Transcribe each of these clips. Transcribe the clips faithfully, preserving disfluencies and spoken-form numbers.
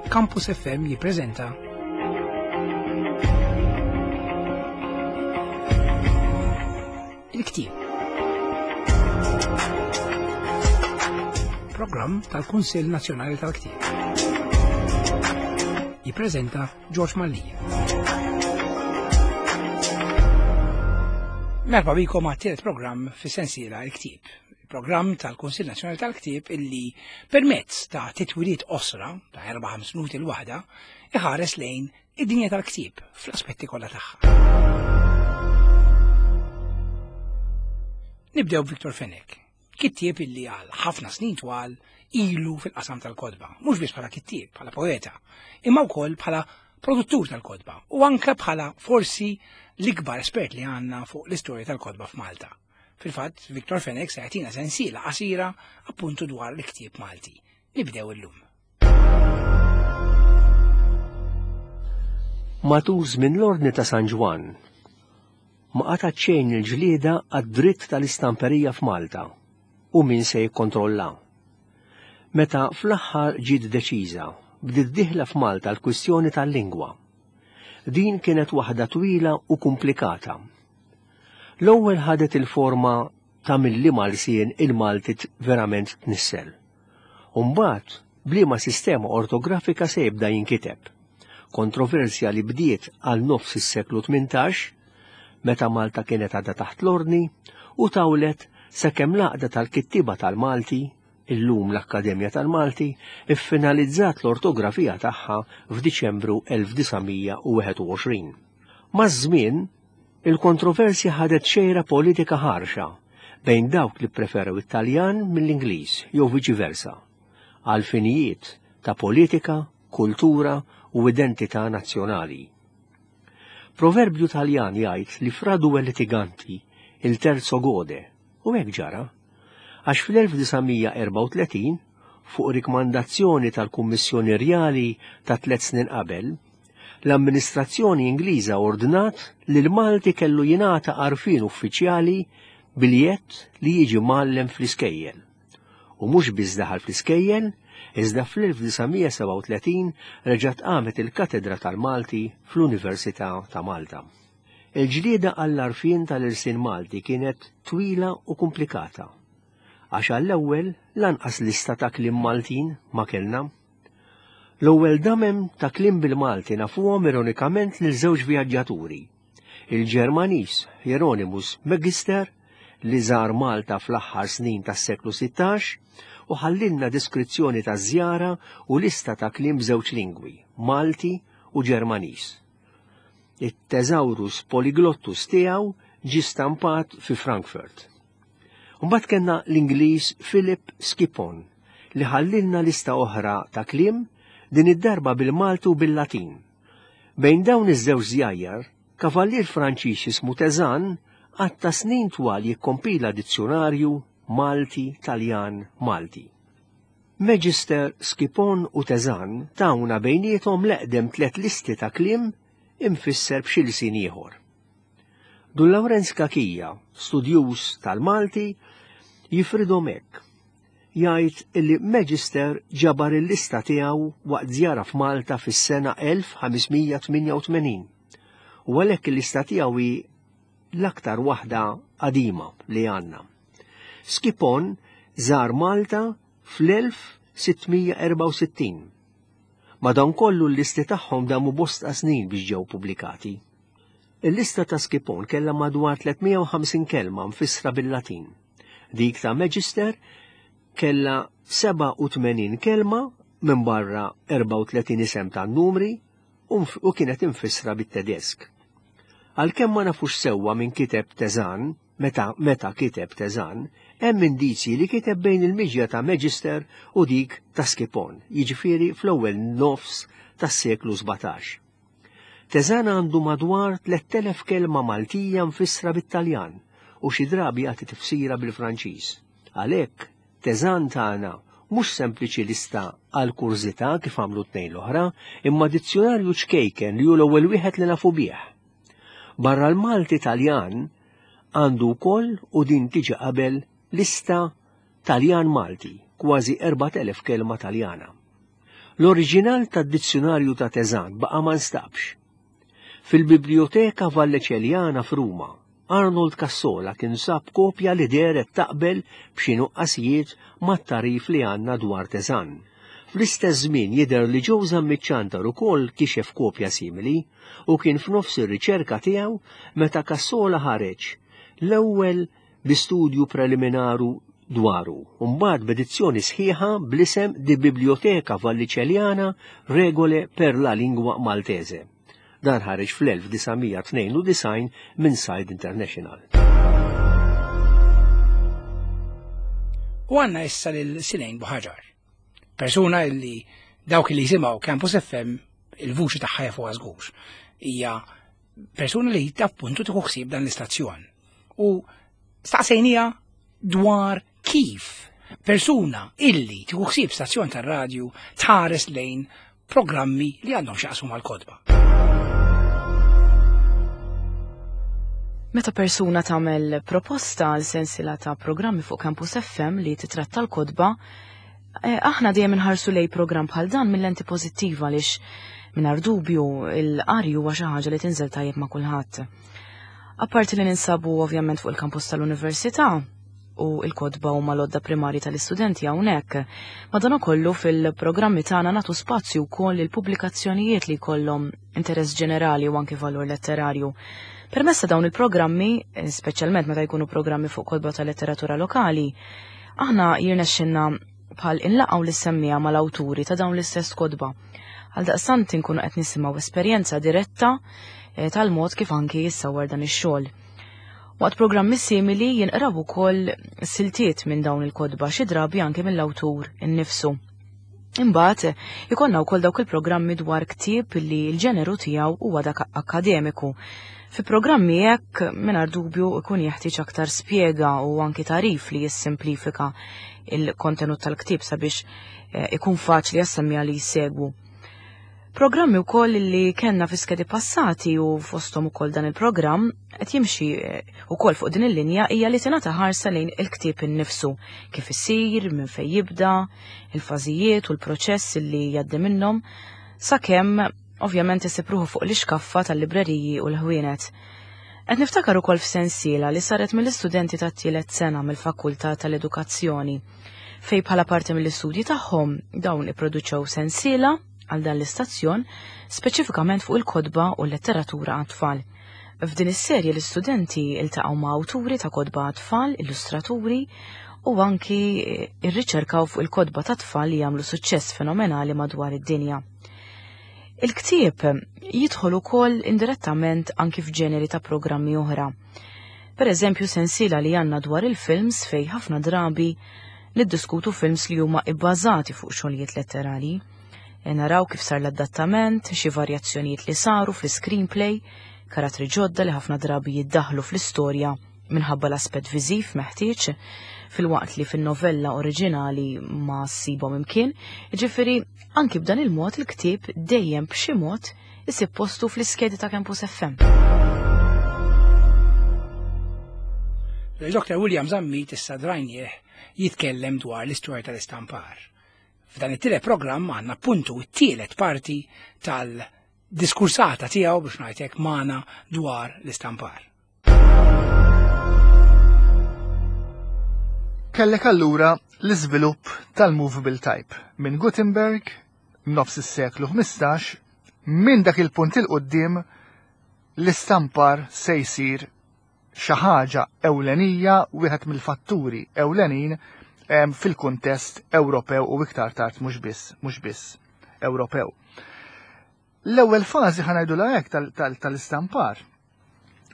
Campus F M jippreżenta Il-Ktieb. Programm tal-Kunsill Nazzjonali tal-Ktieb. Jippreżenta George Mallia. Merħba bikom għat-tielet programm fis-sensiela Il-Ktieb. Programm tal-Kunsill Nazzjonali tal-Ktieb illi permezz ta' titwiliet qosra ta' erba' ħames minuti l-waħda iħares lejn id-dinja tal-ktieb fl-aspetti kollha tagħha. Nibdew Victor Fenech, kittieb illi għal ħafna snin twal ilu fil-qasam tal-kotba, mhux biss bħala kittieb, bħala poeta, imma wkoll bħala produttur tal-kotba u anke bħala forsi l-ikbar espert li għandna fuq l-istorja tal-kotba f'Malta. Fil-fatt, Victor Fenech se jagħtina sensiela qasira appuntu dwar l-ktieb Malti. Nibdew illum. Matul żmien l-Ordni ta' San Ġwann ma qatgħet xejn il-ġlieda għad-dritt tal-istamperija f'Malta u min se jikkontrolla. Meta fl-aħħar ġiet deċiża, bdiet dieħla f'Malta l-kwistjoni tal-lingwa. Din kienet waħda twila u komplikata. L-ewwel ħadet il-forma ta' milli Malsien il-Malti verament tnissel. U mbagħad b'liema sistema ortografika se jibda jinkiteb. Kontroversja li bdiet għal nofs is-seklu tmintax, meta Malta kienet għadha taħt l-ordni, u tawlet sakemm l-għaqda tal-kittiba tal-Malti, illum l-Akkademja tal-Malti, iffinalizzat l-ortografija tagħha f'Diċembru elf disa' mija u wieħed u għoxrin. Maż-żmien, il-kontroversja ħadet xejra politika ħarxa bejn dawk li preferew it-Taljan mill-Ingliż jew viċi versa, għal finijiet ta' politika, kultura u identità nazzjonali. Proverbju Taljan jgħid li fra due litiganti il terzo gode, u hekk ġara, għax fl-elf disa' mija erbgħa u tletin, fuq rikmandazzjoni tal-Kummissjoni Rjali ta' tliet snin qabel, l-amministrazzjoni Ingliża ordnat li l-Malti kellu jingħata għarfien uffiċjali biljett li jiġi mgħallem fl-iskejjel. U mhux biss daħal fl-iskejjel, iżda fl-elf disa' mija sebgħa u tletin reġgħet qamet il-Katedra tal-Malti fl-Università ta' Malta. Il-ġlieda għall-għarfien tal-irsin Malti kienet twila u komplikata, għax għall-ewwel lanqas lista ta' kliem Maltin ma kellna. L-ewwel damem ta' kliem bil-Malti nafuhom ironikament lil żewġ vjaġġaturi, il-Ġermaniż Hieronymus Magister li żar Malta fl-aħħar snin tas-seklu sittax u ħallilna deskrizzjoni ta' żjara u lista ta' kliem b'żewġ lingwi, Malti u Ġermaniż. It-Thesaurus Polyglottus tiegħu ġie stampat fi Frankfurt. Mbagħad kellna l-Ingliż Philip Skippon li ħallilna lista oħra ta' kliem din id-darba bil-Malti u bil-Latin. Bejn dawn iż-żewġ żjajjar, kavallier Franċiż jismu Tezan għatta snin twal jikkompila dizzjonarju Malti-Taljan Malti. Magister, Skippon u Tezan tawna bejniethom l-eqdem tliet listi ta' kliem imfisser b'xi lsien ieħor. Dun Lawrenz Cachia, studjuż tal-Malti, jifridhom hekk. Jgħid illi Magister ġabar il-lista tiegħu waqt żjara f'Malta fis-sena elf ħames mija tmienja u tmenin. U għalhekk il-lista tiegħu hi l-aktar waħda qadima li għandna. Skippon żar Malta fl-elf sitt mija erbgħa u sittin. Madankollu l-listi tagħhom damu bosta snin biex ġew pubblikati. Il-lista ta' Skippon kellha madwar tliet mija u ħamsin kelma mfissra bil-Latin. Dik ta' Magister kellha seba' u tmenin kelma minn barra erbgħa u tletin isem ta' numri u mf-, u kienet imfissra bit-Tedesk. Għalkemm ma nafux sewwa minn kiteb Tezan, meta, meta kiteb Tezan, hemm indizji li kiteb bejn il-miġja ta' Magister u dik ta' Skippon, jiġifieri fl-ewwel nofs tas-seklu sbatax. Tezan għandu madwar tliet elef kelma Maltija mfissra bit-Taljan u xi drabi jagħti tifsira bil-Franċiż. Għalhekk Tezan tagħna mhux sempliċi lista għal kurżità kif għamlu tnejn l-oħra, imma dizzjonarju ċkejken li hu l-ewwel wieħed li nafu bih. Barra l-Malti Taljan għandu wkoll u din tiġi qabel lista Taljan Malti, kważi erbat elef kelma Taljana. L-oriġinal tad-dizzjunarju ta' Teżan baqa' ma nstabx. Fil-Biblioteka Valleċeljana f'Ruma, Arnold Cassola kien sab kopja li dehret taqbel b'xi nuqqasijiet mat-tagħrif li għandna dwar Teżan. Fl-istess żmien jidher li Joe Zammit Ciantar ukoll kixef kopja simili u kien f'nofs ir-riċerka tiegħu meta Cassola ħareġ l-ewwel bi studju preliminaru dwaru, u mbagħad b'edizzjoni sħiħa bl-isem Di Biblioteca Vallicelliana Regole per la Lingua Maltese. Dan ħareġ fl-elf disa' mija tnejn u disgħin minn Said International. U għandna issa lil Silejn Buħaġar, persuna illi dawk li jisimgħu Campus F M il-vuċi tagħha jafuha żgur. Hija persuna li appuntu tieħu ħsieb dan l-istazzjon. U staqsejnija dwar kif persuna illi tieħu ħsieb stazzjon tar-radju tħares lejn programmi li għandhom x'jaqsmu mal-kotba. Meta persuna tagħmel proposta għal sensiela ta' programmi fuq Campus F M li titratta l-kotba, eh, aħna dejjem inħarsu lej programm bħal dan mill-lenti pożittiva għaliex mingħajr dubju il-qari huwa xi ħaġa li tinżel tajjeb ma' kulħadd. Apparti li ninsabu ovvjament fuq il-kampus tal-università u l-kotba huma l-għodda primarji tal-istudenti hawnhekk, madankollu fil-programmi tagħna nagħtu spazju wkoll il-pubblikazzjonijiet li jkollhom interess ġenerali u anke valur letterarju. Permezz ta' dawn il-programmi, speċjalment meta jkunu programmi fuq kotba ta' letteratura lokali, aħna jirnexxinna bħal inlaqgħu lis-semmija mal-awturi ta' dawn l-istess kotba. Għaldaqstant inkunu qed nisimgħu esperjenza diretta, eh, tal-mod kif anki jissawwar dan ix-xogħol. Waqt programmi simili jinqraw ukoll siltiet minn dawn il-kotba xi drabi anke mill-awtur innifsu. Imbagħad ikollna wkoll dawk il-programmi dwar ktieb li l-ġeneru tiegħu huwa dak akkademiku. Fi programmi hekk mingħajr dubju ikun jeħtieġ aktar spjega u anki tagħrif li jissimplifika il-kontenut tal-ktieb sabiex, eh, ikun faċli għas-semmiegħa li jsegwu. Programmi wkoll li kellna fi skedi passati u fosthom ukoll dan il-programm qed jimxi, eh, ukoll fuq din il-linja hija li tingħata ħarsa lejn il-ktieb innifsu, kif isir, minn fejn jibda, il-fażijiet u l-proċess li jgħaddi minnhom, sakemm ovvjament isib ruħu fuq l-ixkaffa tal-libreriji u l-ħwienet. Qed niftakar ukoll f'sensiela li saret mill-istudenti tat-tielet sena mill-Fakultà tal-Edukazzjoni, fejn bħala parti mill-istudji tagħhom dawn ipproduċew sensiela għal dan l-istazzjon speċifikament fuq il-kotba u l-letteratura għat-tfal. F'din is-serje l-istudenti iltaqgħu ma' awturi ta' kotba għat-tfal, illustraturi u anki rriċerkaw fuq il-kotba ta' tfal li jagħmlu suċċess fenomenali madwar id-dinja. Il-ktieb jidħol ukoll indirettament anki f'ġeneri ta' programmi oħra. Per eżempju, sensiela li għandna dwar il-films fej ħafna drabi niddiskutu films li huma ibbażati fuq xogħlijiet letterali. E naraw kif sar l-adattament, xi varjazzjonijiet li saru fl-screenplay, karattri ġodda li ħafna drabi jiddaħlu fl-istorja minħabba l-aspett viżiv meħtieġ, filwaqt li fin-novella oriġinali ma ssibhom imkien. Jiġifieri anki b'dan il-mod il-ktieb dejjem b'xi mod isib postu fl-iskedi ta' Campus F M. Doctor William Zammit issa drajnieh jitkellem dwar l-istorja tal-istampar. F'dan it-tielet programm għandna appuntu t-tielet parti tal-diskursata tiegħu biex ngħidlek magħna dwar l-istampar. Kellek allura l-iżvilupp tal-movable type minn Gutenberg nofs is-seklu ħmistax, minn dak il-punt il quddiem l-istampar se jsir xi ħaġa ewlenija, wieħed mill-fatturi ewlenin, em, fil-kuntest Ewropew u iktar tard mhux biss, mhux biss Ewropew. L-ewwel fażi ħa ngħidulha hekk tal-, tal-, tal-istampar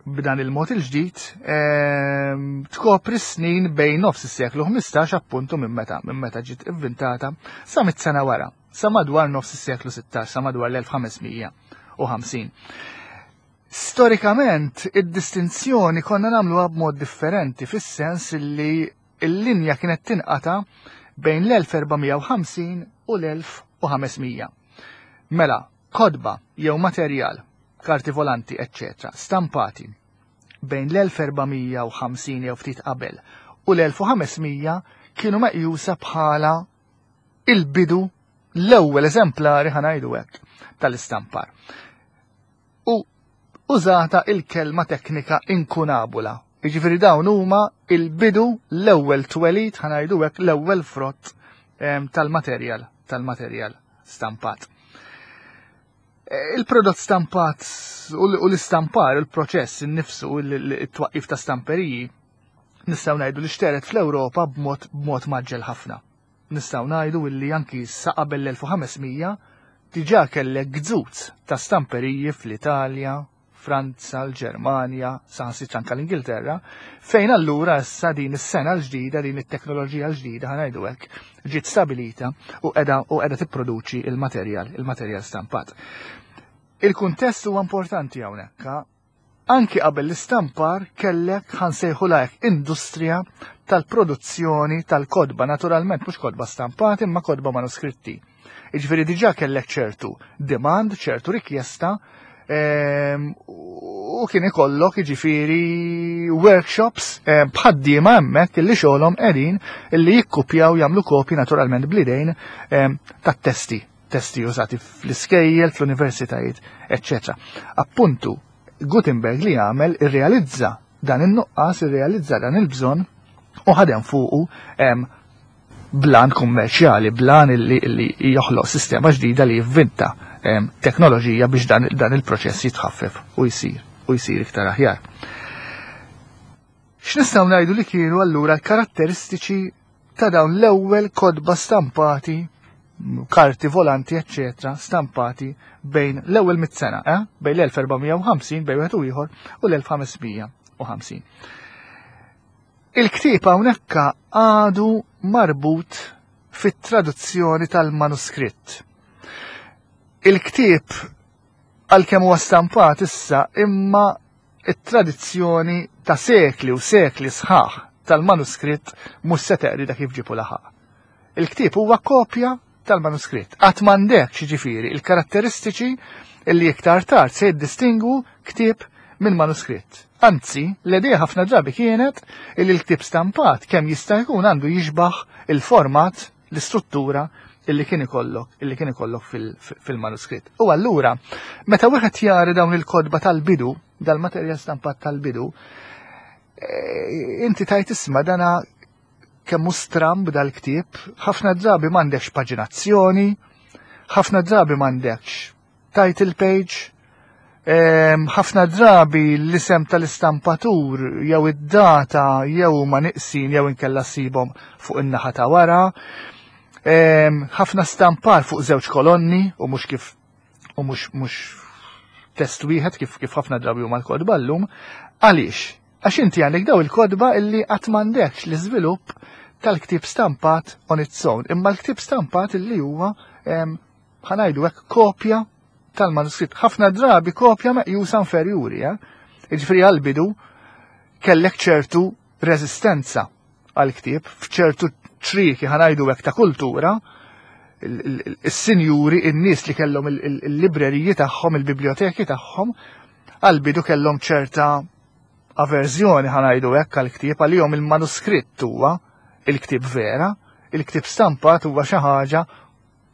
b'dan il-mod il-ġdid, em, tkopri snin bejn nofs is-seklu ħmistax appuntu minn meta, minn meta ġiet inventata sa mit sena wara, sa madwar nofs is-seklu sittax, sa madwar l-elf ħames mija u ħamsin. Storikament, id-distinzjoni konna nagħmluha b'mod differenti fis-sens li l-linja kienet tinqata' bejn l-elf erba' mija u ħamsin u l-elf u ħames mija. Mela, kotba jew materjal, karti volanti, eccetera, stampati bejn l-elf erba' mija u ħamsin jew ftit qabel u l-elf u ħames mija kienu meqjusa bħala il-bidu L-ewwel eżemplari, ħa ngħidu hekk, tal-istampar. U użata il-kelma teknika inkunabula. Jiġifieri dawn huma il-bidu, l-ewwel twelid, ħa ngħidu hekk, l-ewwel frott tal-materjal, tal-materjal stampat. Il-prodott stampat u l-istampar, il-proċess innifsu, it-twaqqif ta' stamperiji, nistgħu ngħidu li xteret fl-Ewropa b'mod b'mod mgħaġġel ħafna. Nistgħu ngħidu illi anki sa qabel l-elf u ħames mija diġà kellek gżuz ta' stamperiji fl-Italja, Franza, l-Ġermanja, saħansitra anke l-Ingilterra, fejn allura issa din is-sena l-ġdida, din it-teknoloġija l-ġdida, ħa ngħidu hekk, ġiet stabilita u qiegħda u qiegħda tipproduċi il-materjal, il-materjal stampat. Il-kuntest huwa importanti hawnhekk. Anki qabel l-istampar kellek, ħa nsejħulha hekk, industrija tal-produzzjoni tal-kodba, naturalment mhux kodba stampati imma kodba manuskritti. Jiġifieri diġà kellek ċertu demand, ċertu rikjesta, ehm, u kien ikollok jiġifieri workshops ehm, b'ħaddiema hemmhekk illi xogħolhom qegħdin illi jikkupjaw, jagħmlu kopji naturalment bl-idejn ehm, tat-testi, testi użati fl-iskejjel, fl-universitajiet, eċċetera. Appuntu, Gutenberg li għamel irrealizza dan in-nuqqas, irrealizza dan il-bżonn u ħadem fuqu em, b'għan kummerċjali, b'għan illi, illi joħloq sistema ġdida li jivvinta em, teknoloġija biex dan, dan il-proċess jitħaffef u jsir u jsir iktar aħjar. X'nistgħu ngħidu li kienu allura l-karatteristiċi ta' dawn l-ewwel kodba stampati, karti volanti, eccetera, stampati bejn l-ewwel mitt sena, eh? Bejn l-elf erba' mija u ħamsin, bejn wieħed u ieħor, u l-elf ħames mija u ħamsin. Il-ktieb hawnhekk għadu marbut fit-traduzzjoni tal-manuskritt. Il-ktieb għalkemm huwa stampat issa, imma it-tradizzjoni ta' sekli u sekli sħaħ tal-manuskritt mhux se teqrida kif ġipu laħaq. Il-ktieb huwa kopja tal-manuskritt. Qatt m'għandekx jiġifieri il-karatteristiċi illi iktar tard se jiddistingwu ktieb minn manuskritt. Anzi, l-idea ħafna drabi kienet illi l-ktieb stampat kemm jista' jkun għandu jixbaħ il-format, l-istruttura illi kien ikollok, illi kien ikollok fil-manuskritt. U allura, meta wieħed jara dawn il-kodba tal-bidu, dal-materjal stampat tal-bidu, inti tajt isma' dana kemm stramb dal-ktieb, ħafna drabi m'għandekx paġinazzjoni, ħafna drabi m'għandekx title page, ħafna drabi l-isem tal-istampatur jew id-data jew ma neqsin jew inkella ssibhom fuq in-naħa ta' wara. Ħafna stampar fuq żewġ kolonni u mhux kif u mhux mhux test wieħed kif kif ħafna drabi huma l-kodba llum. Għaliex? Għax inti għandek daw il-kodba illi qatt m'għandekx l-iżvilupp tal-ktieb stampat on its own, imma l-ktieb stampat illi huwa, ħa ngħidu hekk, kopja tal-manuskritt. Ħafna drabi kopja meqjusa inferjuri, eh? Jiġifieri għal-bidu kellek ċertu reżistenza għal-ktieb f'ċertu ċrieki, ħa ngħidu hekk, ta' kultura, il-sinjuri, in-nies li kellhom il-libreriji tagħhom, il-biblioteki tagħhom, għal-bidu kellhom ċerta averżjoni, ħa ngħidu hekk, għal-ktieb. Għalihom il-manuskritt huwa il-ktieb vera, il-ktieb stampat huwa xi ħaġa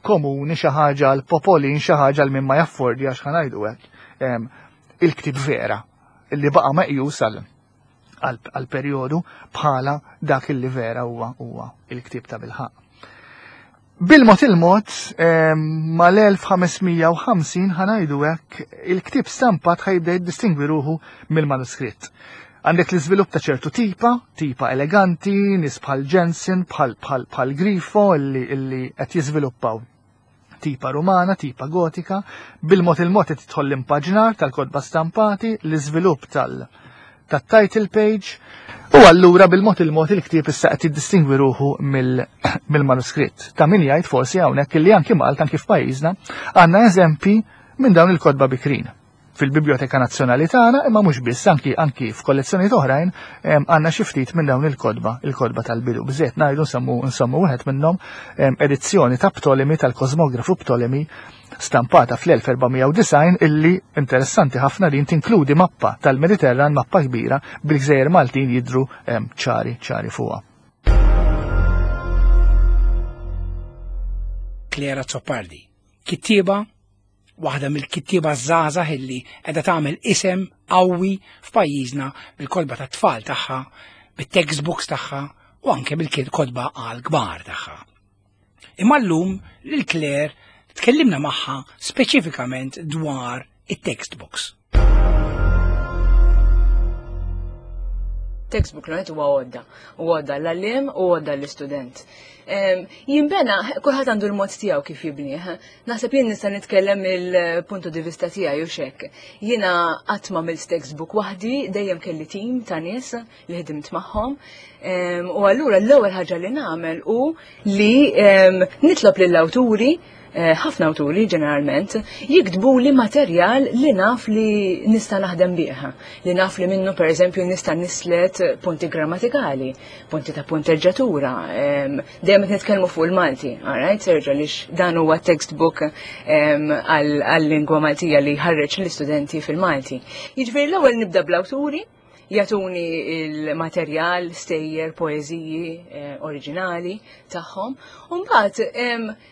komuni, xi ħaġa għal popolin, xi ħaġa għal min ma jaffordja, ħa ngħidu hekk. Il-ktieb vera, illi baqa' meqjus għal perjodu bħala dak illi vera huwa huwa il-ktieb ta' bilħaq. Bil-mod il-mod, mal-elf ħames mija u ħamsin, ħa ngħidu hekk, il-ktieb stampat ħa jibda jiddistingwi ruħu mill-manuskritt. Għandek l-iżvilupp ta' ċertu tipa, tipa eleganti, nies bħal Jensen, bħal bħal bħal Grifo illi illi qed jiżviluppaw tipa rumana, tipa gotika, bil-mod il-mod qed tidħol l-impaġnar tal-kodba stampati, l-iżvilupp tal- tat-title page, u allura bil-mod il-mod il-ktieb issa qed jiddistingwi ruħu mill-manuskritt. Ta' min jgħid forsi hawnhekk illi anki Malta, anki f'pajjiżna, għandna eżempi minn dawn il-kodba bikrin fil-Biblioteka Nazzjonali tagħna, imma mhux biss, anki anki f'kollezzjonijiet oħrajn għandna xi ftit minn dawn il-kodba, il-kodba tal-bidu. Biżejjed ngħidu nsemmu nsemmu wieħed minnhom, edizzjoni ta' Ptolemy, tal-Kosmografu Ptolemy, stampata fl-elf erba' mija u disgħin, illi interessanti ħafna din tinkludi mappa tal-Mediterran, mappa kbira bil-gżejjer Maltin jidru ċari ċari fuqha. Claire Azzopardi. Kittieba, waħda mill-kittieba żgħażagħ illi qiegħda tagħmel isem qawwi f'pajjiżna bil-kotba tat-tfal tagħha, bit-textbooks tagħha u anke bil-kotba għal kbar tagħha. Imma llum lil Claire tkellimna magħha speċifikament dwar it-textbooks. Textbook l huwa għodda, u għodda l-għallim u għodda l-istudent. Jimbena, kulħadd għandu l-mod tiegħu kif jibnieh. Naħseb jien nista' nitkellem mill-punto di vista tiegħi u xek. Jiena qatt ma għamilt textbook waħdi, dejjem kelli tim ta' nies li ħdimt magħhom. U allura l-ewwel ħaġa li nagħmel hu li nitlob lill-awturi, ħafna awturi ġeneralment, jiktbu li materjal li naf li nista' naħdem bih, li naf li minnu per eżempju nista' nislet punti grammatikali, punti ta' punteġġatura, dejjem qed nitkellmu fuq il-Malti, alright, Sergio, għaliex dan huwa textbook għal-lingwa Maltija li jħarreġ l-istudenti fil-Malti. Jiġifieri l-ewwel nibda bl-awturi, jagħtuni il-materjal, stejjer, poeżiji eh, oriġinali tagħhom. U mbagħad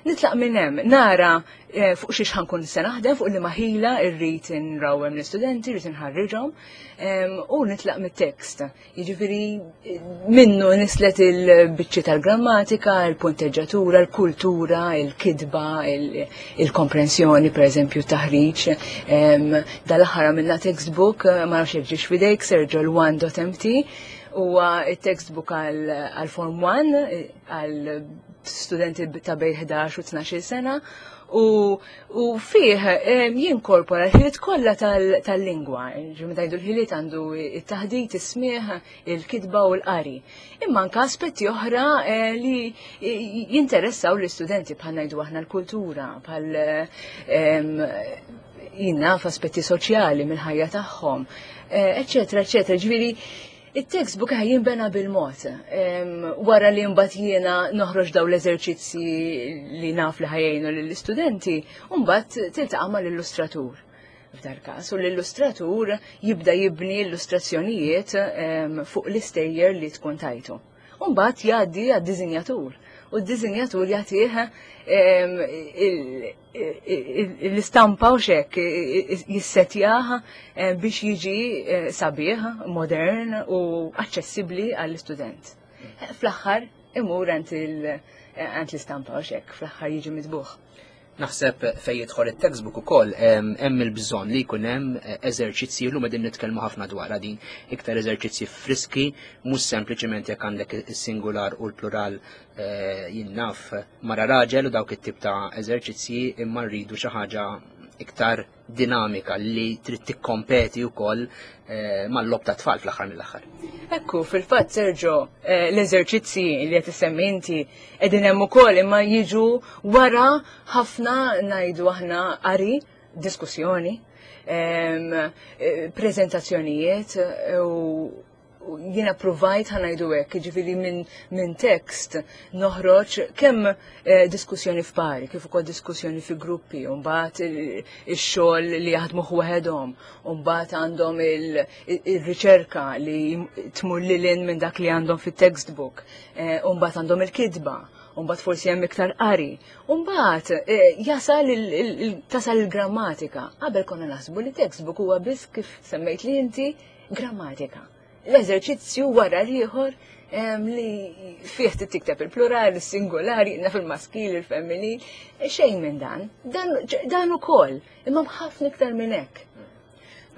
nitlaq minn hemm nara eh, fuq xiex ħankun se naħdem, fuq liema ħila rrid inrawhem l-istudenti, rrid inħarriġhom, u nitlaq mit-tekst. Jiġifieri minnu nislet il-biċċi tal-grammatika, il-punteġġatura, il-kultura, il-kitba, il-komprensjoni, pereżempju taħriġ. Dal-aħħar għamilna textbook, ma nafx jekk ġiex f'idejk, Sergio, l one dot M T, huwa it-textbook għal Form one, għal studenti ta' bejn ħdax u tnax-il sena, u, u fih jinkorpora l-ħiliet kollha tal-lingwa. Ġimma tajdu l-ħiliet għandu it-taħdit, is-smieħ, il-kitba u l-qari. Imma anke aspetti oħra li jinteressaw l-istudenti, bħal ngħidu aħna l-kultura, bħal jinnaf aspetti soċjali mill-ħajja tagħhom, eċetera, eċetera. Ġifieri it-textbook ħaj jinbena bil-mod. Wara li mbagħad jiena noħroġ daw l-eżerċizzi li naf li ħajjinu lill-istudenti, u mbagħad tiltaqa' mal-illustratur f'dar każ, u l-illustratur jibda jibni illustrazzjonijiet fuq l-istejjer li tkun tajtu. U mbagħad jgħaddi għad-diżinjatur, u d-diżinjatur jagħtih l-istampa u xek jissetjaha biex jiġi sabiħ, modern u aċċessibbli għall-istudent. Fl-aħħar imur għand l-istampa u xek, fl-aħħar jiġi mitbuħ. Naħseb fejn jidħol it-textbook ukoll hemm il-bżonn li jkun hemm eżerċizzji, llum qegħdin nitkellmu ħafna dwar din, iktar eżerċizzji friski, mhux sempliċement jekk għandek is-singular u l-plural jinnaf mara raġel u dawk it-tip ta' eżerċizzji, imma rridu xi ħaġa iktar dinamika li trid tikkompeti wkoll mal-logħob ta' tfal fl-aħħar mill-aħħar. Ekku, fil-fatt Sergio, l-eżerċizzji li qed issemmi inti qegħdin hemm ukoll, imma jiġu wara ħafna ngħidu aħna qari, diskussjoni, preżentazzjonijiet, u jiena provajt ħanajdu hekk, jiġifieri minn min tekst noħroġ kemm diskussjoni f'pari, kif ukoll diskussjoni fi gruppi, u mbagħad ix-xogħol li jaħdmu waħedhom, u mbagħad għandhom il-riċerka li tmur lil hinn minn dak li għandhom fit-textbook, u mbagħad għandhom il-kitba, u mbagħad forsi hemm iktar qari, u mbagħad jasal tasal il-grammatika. Qabel konna naħsbu li textbook huwa biss kif semmejt li inti grammatika. L-eżerċizzju wara l-ieħor li fih tikteb il-plural, il-singolari, naf il-maskil, il-femminil, xejn minn dan. Dan ukoll, imma ħafna iktar minn hekk.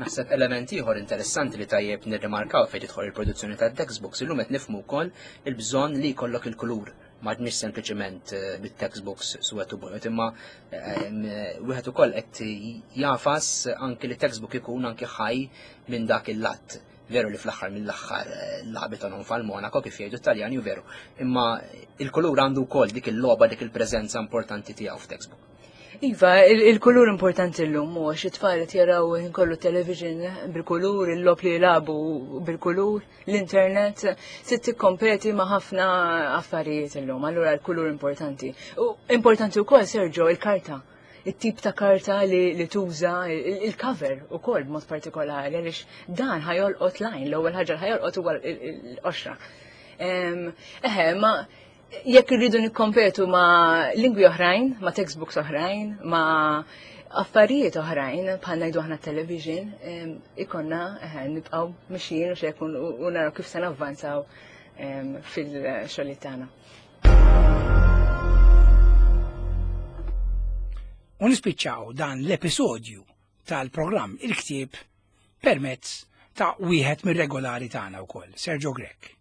Naħseb element ieħor interessanti li tajjeb nirrimarkaw fejn tidħol il-produzzjoni tat-textbooks, illum qed nifhmu wkoll il-bżonn li jkollok il-kulur. Ma għadniex sempliċement bit-textbooks suwed u bojod, imma wieħed ukoll qed jafas anki li textbook ikun anki ħaj minn dak il-lat. Veru li fl-aħħar mill-aħħar lagħbet non fal Monaco kif jgħidu Taljani, u veru. Imma il-kulur għandu wkoll dik il-logħba, dik il-preżenza importanti tiegħu f'textbook. Iva, il-kulur importanti llum, u għax it-tfal qed jaraw kollu television bil-kulur, il-logħob li jilagħbu bil-kulur, l-internet, se tikkompeti ma' ħafna affarijiet illum, allura l-kulur importanti. U importanti wkoll, Sergio, il-karta. it-tip ta' karta li, li tuża, il-cover ukoll b'mod partikolari, għaliex dan ħajolqot lajn, l-ewwel ħaġa ħajolqot huwa l-qoxra. Eħe, ma Jekk irridu nikkompetu ma' lingwi oħrajn, ma' textbooks oħrajn, ma' affarijiet oħrajn, bħal ngħidu aħna television, ikollna nibqgħu mixjin u xekun u naraw kif se navvanzaw fil-xogħlijiet tagħna. U nispiċċaw dan l-episodju tal-programm Il-Ktieb permezz ta' wieħed mir-regolari tagħna wkoll, Sergio Grech.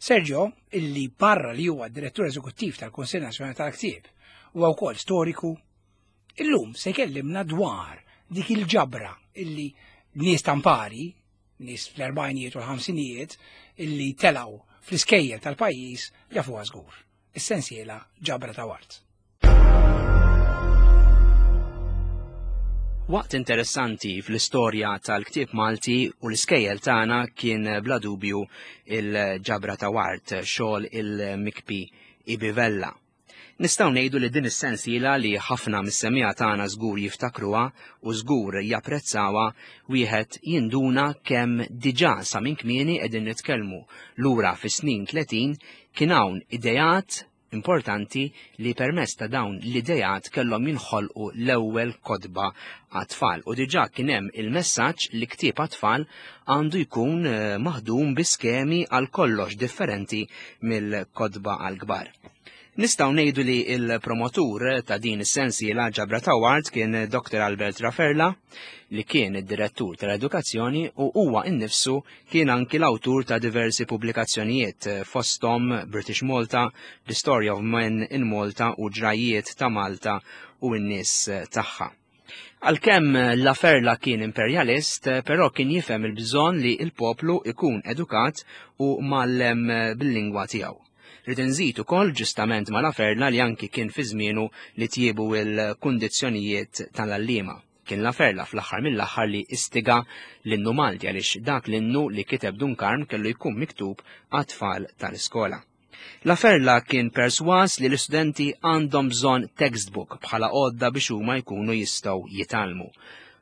Sergio, illi barra li huwa direttur eżekuttiv tal-Kunsill Nazzjonali tal-Ktieb, huwa wkoll storiku, illum se jkellimna dwar dik il-ġabra illi nies tampari, nies fl-erbgħinijiet u l-ħamsinijiet, illi telaw fl-iskejjel tal-pajjiż jafuha żgur. Is-sensiela Ġabra ta' Wart. Waqt interessanti fl-istorja tal-ktieb Malti u l-iskejjel tagħna kien bla dubju il-Ġabra ta' Wart, xogħol il-Mikpi Ibi Vella. Nistgħu ngħidu li din is-sensiela li ħafna mis-semmiegħa tagħna żgur jiftakruha u żgur japprezzawha, wieħed jinduna kemm diġà sa minn kmieni qegħdin nitkellmu lura fis-snin tletin kien hawn ideat importanti li permezz ta' dawn l-idejat kellhom jinħolqu l-ewwel kotba għat-tfal. U diġà kien hemm il-messaġġ li ktieb għat-tfal għandu jkun maħdum bi skemi għal kollox differenti mill-kotba għall-kbar. Nistgħu ngħidu li l-promotur ta' din is-sensiela Ġabra ta' Wart kien Doktor Albert Raferla, li kien id-direttur tal-edukazzjoni u huwa innifsu kien anki l-awtur ta' diversi pubblikazzjonijiet fosthom British Malta, The Story of Men in Malta u Ġrajiet ta' Malta u n-nies tagħha. Għalkemm Laferla kien imperjalist, però kien jifhem il-bżonn li l-poplu ikun edukat u mgħallem bil-lingwa tiegħu. Rrid inżid ukoll ġustament ma' Laferla li anki kien fi żmienu li tjiebu l-kundizzjonijiet tal-għalliema. Kien Laferla fl-aħħar mill-aħħar li istiga l-innu Malti għaliex dak l-innu li kiteb Dun Karm kellu jkun miktub għat-tfal tal-iskola. Laferla kien perswas li l-istudenti għandhom bżonn textbook bħala għodda biex huma jkunu jistgħu jitgħallmu.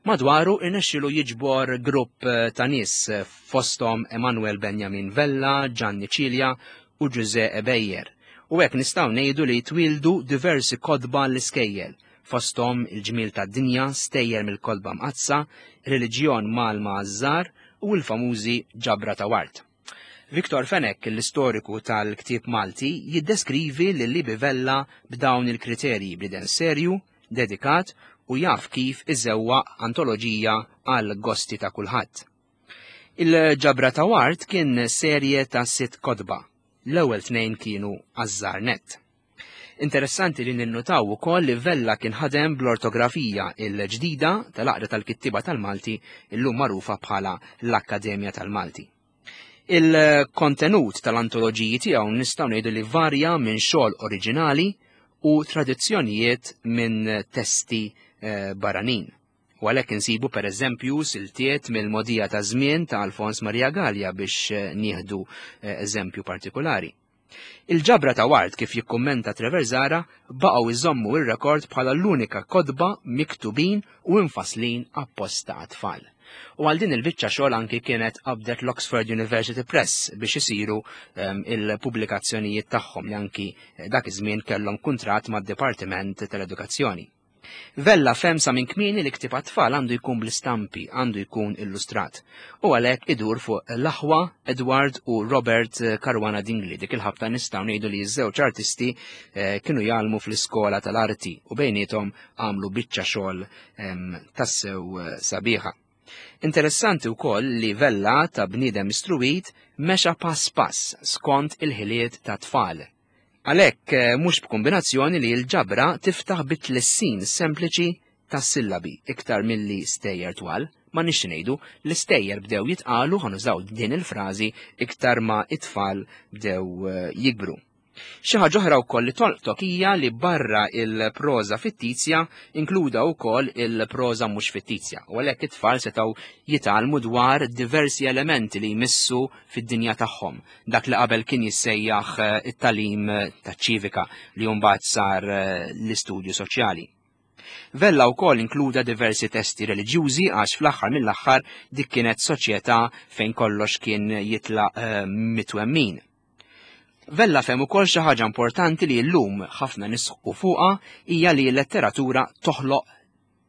Madwaru irnexxielu jiġbor grupp ta' nies fosthom Emanuel Benjamin Vella, Gianni Cilia u Ġuże Ebejer. U hekk nistgħu ngħidu li twildu diversi kotba l-iskejjel, fosthom il-ġmiel tad-dinja, stejjer mill-kotba mqaddsa, reliġjon Malma għaż-żgħar u l-famużi Ġabra ta' Wart. Victor Fenech, l-istoriku tal-ktieb Malti, jiddeskrivi lil Ibi Vella b'dawn il-kriterji: bniedem serju, dedikat u jaf kif iżewwaq antoloġija għal gosti ta' kulħadd. Il-Ġabra ta' Wart kien serje ta' sitt kotba. L-ewwel tnejn kienu għaż-żgħar nett. Interessanti li ninnutaw ukoll li Vella kien ħadem bl-ortografija il-ġdida tal-Għaqda tal-Kittieba tal-Malti, illum magħrufa bħala l-Akkademja tal-Malti. Il-kontenut tal-antoloġiji tiegħu nistgħu ngħidu li varja minn xogħol oriġinali u tradizzjonijiet minn testi barranin. U għalhekk insibu pereżempju siltiet mill-modija ta' żmien ta' Alfons Maria Gallia biex nieħdu eżempju partikolari. Il-Ġabra ta' Wart, kif jikkummenta Trevor Zara, baqgħu iżommu ir-rekord bħala l-unika kotba miktubin u infaslin apposta għat-tfal. U għal din il-biċċa xogħol anki kienet qabdet l-Oxford University Press biex isiru il-pubblikazzjonijiet tagħhom li anki dak iż-żmien kellhom kuntratt mad-Dipartiment tal-Edukazzjoni. Vella fem sa minn kmieni li ktieb għat-tfal għandu jkun bl-istampi, għandu jkun illustrat. U għalhekk idur fuq l-aħwa Edward u Robert Caruana Dingli. Dik il-ħabta nistgħu ngħidu li ż-żewġ artisti kienu jgħallmu fl-iskola tal-arti u bejniethom għamlu biċċa xogħol tassew sabiħa. Interessanti wkoll li Vella ta' bniedem istruwit mexa pass pass skont il-ħiliet ta' tfal. Għalhekk mhux b'kombinazzjoni li l-ġabra tiftaħ bit-tlissin sempliċi tas-sillabi iktar milli stejjer twal, ma nix ngħidu l-istejjer bdew jitqalu, ħanużaw din il-frażi iktar ma it-tfal bdew jikbru. Xi ħaġa oħra wkoll li tolqtok hija li barra il-proża fittizja inkluda wkoll il-proża mhux fittizja, u għalhekk it-tfal setgħu jitgħallmu dwar diversi elementi li jmissu fid-dinja tagħhom. Dak li qabel kien jissejjaħ it-tagħlim taċ-ċivika li mbagħad sar l-istudju soċjali. Vella wkoll inkluda diversi testi reliġjużi għax fl-aħħar mill-aħħar dik kienet soċjetà fejn kollox kien jitlaq mitwemmin. Vella fehem ukoll xi ħaġa importanti li llum ħafna nisħqu fuqha, hija li l-letteratura toħloq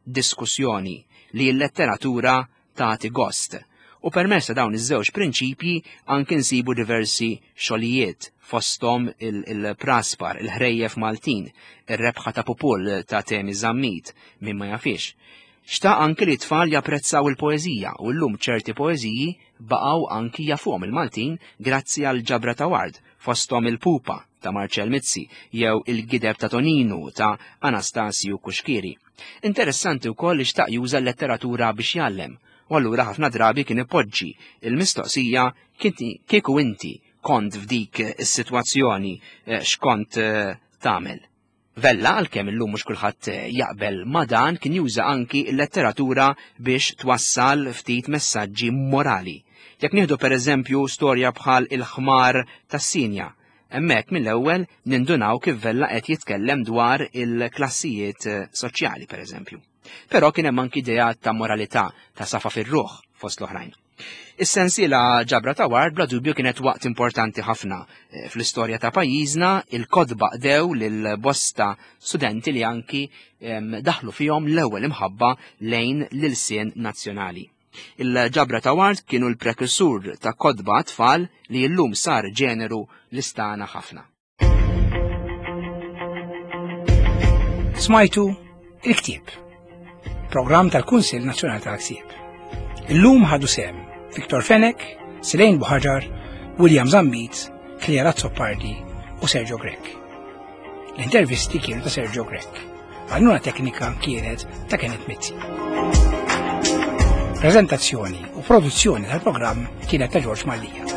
diskussjoni, li l-letteratura tagħti gost. U permezz ta' dawn iż-żewġ prinċipji anki nsibu diversi xogħlijiet, fosthom il-Praspar, il-Ħrejjef Maltin, ir-Rebħa ta' Pupul ta' Temi Zammit, min ma jafix. Xtaq anki li tfal japprezzaw il-poeżija u llum ċerti poeżiji baqgħu anki jafuhom il-Maltin grazzi għal ġabra ta' Ward, fosthom il-Pupa ta' Marcel Mizzi jew il-Gideb ta' Toninu ta' Anastasju Cuschieri. Interessanti wkoll li xtaq juża l-letteratura biex jgħallem, u allura ħafna drabi kien ipoġġi il-mistoqsija kieku inti kont f'dik is-sitwazzjoni x'kont tagħmel. Vella, għalkemm illum mhux kulħadd jaqbel ma' dan, kien juża anki l-letteratura biex twassal ftit messaġġi morali. Jekk nieħdu pereżempju storja bħal il-ħmar tas-Sinja, hemmhekk mill-ewwel nindunaw kif Vella qed jitkellem dwar il-klassijiet soċjali pereżempju. Però kien hemm anki idea ta' moralità, ta' safa fir-ruħ fost l-oħrajn. Is-sensiela ġabra ta' Ward bla dubju kienet waqt importanti ħafna fl-istorja ta' pajjiżna, il-kotba qdew lil bosta studenti li anki daħlu fihom l-ewwel imħabba lejn l-ilsien nazzjonali. Il-ġabra ta' Ward kienu l-prekursur ta' kotba tfal li llum sar ġeneru l-istana ħafna. Smajtu il-ktieb, programm tal-Kunsill Nazzjonali tal-Ktieb. Illum ħadu sehem Victor Fenech, Selene Buhagiar, William Zammit, Clare Azzopardi u Sergio Grech. L-intervisti kienu ta' Sergio Grech. Għajnuna teknika kienet ta' Kenneth Mizzi. Prezentazzjoni u produzzjoni tal-programm kienet ta' George Mallia.